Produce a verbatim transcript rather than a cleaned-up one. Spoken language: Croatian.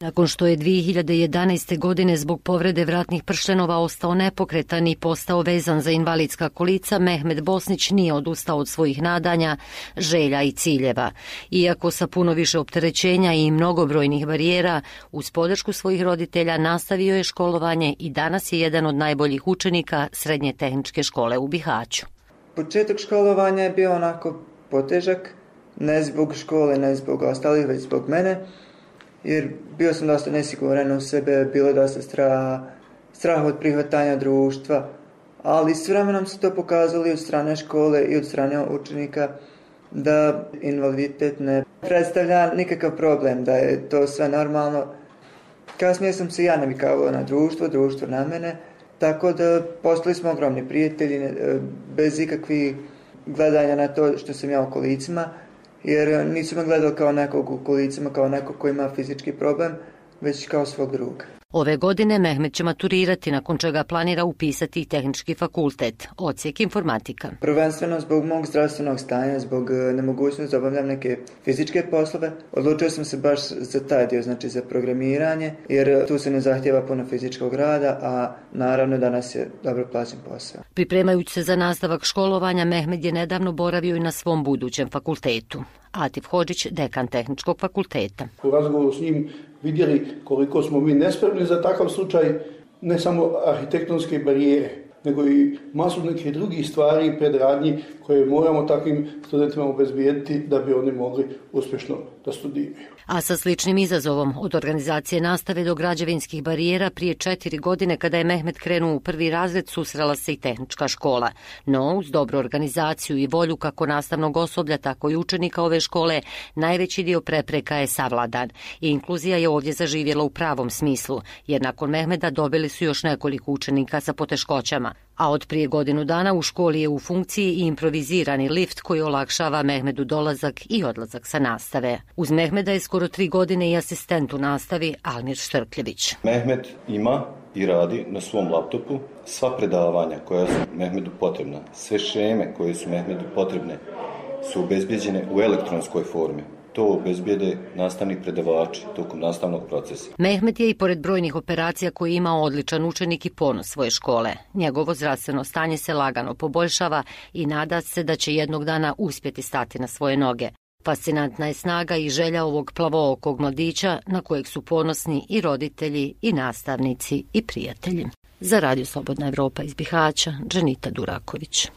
Nakon što je dvije hiljade jedanaeste. godine zbog povrede vratnih pršljenova ostao nepokretan i postao vezan za invalidska kolica, Mehmet Bosnić nije odustao od svojih nadanja, želja i ciljeva. Iako sa puno više opterećenja i mnogobrojnih barijera, uz podršku svojih roditelja nastavio je školovanje i danas je jedan od najboljih učenika Srednje tehničke škole u Bihaću. Početak školovanja je bio onako potežak, ne zbog škole, ne zbog ostalih, već zbog mene. Jer bio sam dosta nesiguran u sebe, bilo je dosta straha, strah od prihvatanja društva, ali s vremenom se to pokazalo i od strane škole i od strane učenika da invaliditet ne predstavlja nikakav problem, da je to sve normalno. Kasnije sam se ja navikavao na društvo, društvo na mene, tako da postali smo ogromni prijatelji bez ikakvih gledanja na to što sam ja u kolicima. Jer nisu me gledali kao nekog u kolicima, kao nekog koji ima fizički problem, već kao svog druga. Ove godine Mehmet će maturirati, nakon čega planira upisati i tehnički fakultet, odsjek informatika. Prvenstveno zbog mog zdravstvenog stanja, zbog nemogućnosti da obavljam neke fizičke poslove, odlučio sam se baš za taj dio, znači za programiranje, jer tu se ne zahtijeva puno fizičkog rada, a naravno danas je dobro plaćen posao. Pripremajući se za nastavak školovanja, Mehmet je nedavno boravio i na svom budućem fakultetu. Atif Hodžić, dekan tehničkog fakulteta. U razgovoru s njim vidjeli koliko smo mi nespremni za takav slučaj, ne samo arhitektonske barijere, nego i masu nekih drugih stvari i predradnji koje moramo takvim studentima obezbijediti da bi oni mogli uspješno da studiraju. A sa sličnim izazovom, od organizacije nastave do građevinskih barijera, prije četiri godine kada je Mehmet krenuo u prvi razred, susrela se i tehnička škola. No, uz dobru organizaciju i volju kako nastavnog osoblja, tako i učenika ove škole, najveći dio prepreka je savladan. I inkluzija je ovdje zaživjela u pravom smislu, jer nakon Mehmeta dobili su još nekoliko učenika sa poteškoćama. A od prije godinu dana u školi je u funkciji i improvizirani lift koji olakšava Mehmedu dolazak i odlazak sa nastave. Uz Mehmeda je skoro tri godine i asistent u nastavi Almir Štrkljević. Mehmet ima i radi na svom laptopu sva predavanja koja su Mehmedu potrebna, sve šeme koje su Mehmedu potrebne su obezbijeđene u elektronskoj formi. To obezbijede nastavni predavači tokom nastavnog procesa. Mehmet je i pored brojnih operacija koje ima odličan učenik i ponos svoje škole. Njegovo zdravstveno stanje se lagano poboljšava i nada se da će jednog dana uspjeti stati na svoje noge. Fascinantna je snaga i želja ovog plavookog mladića na kojeg su ponosni i roditelji i nastavnici i prijatelji. Za Radio Slobodna Evropa iz Bihaća, Dženita Duraković.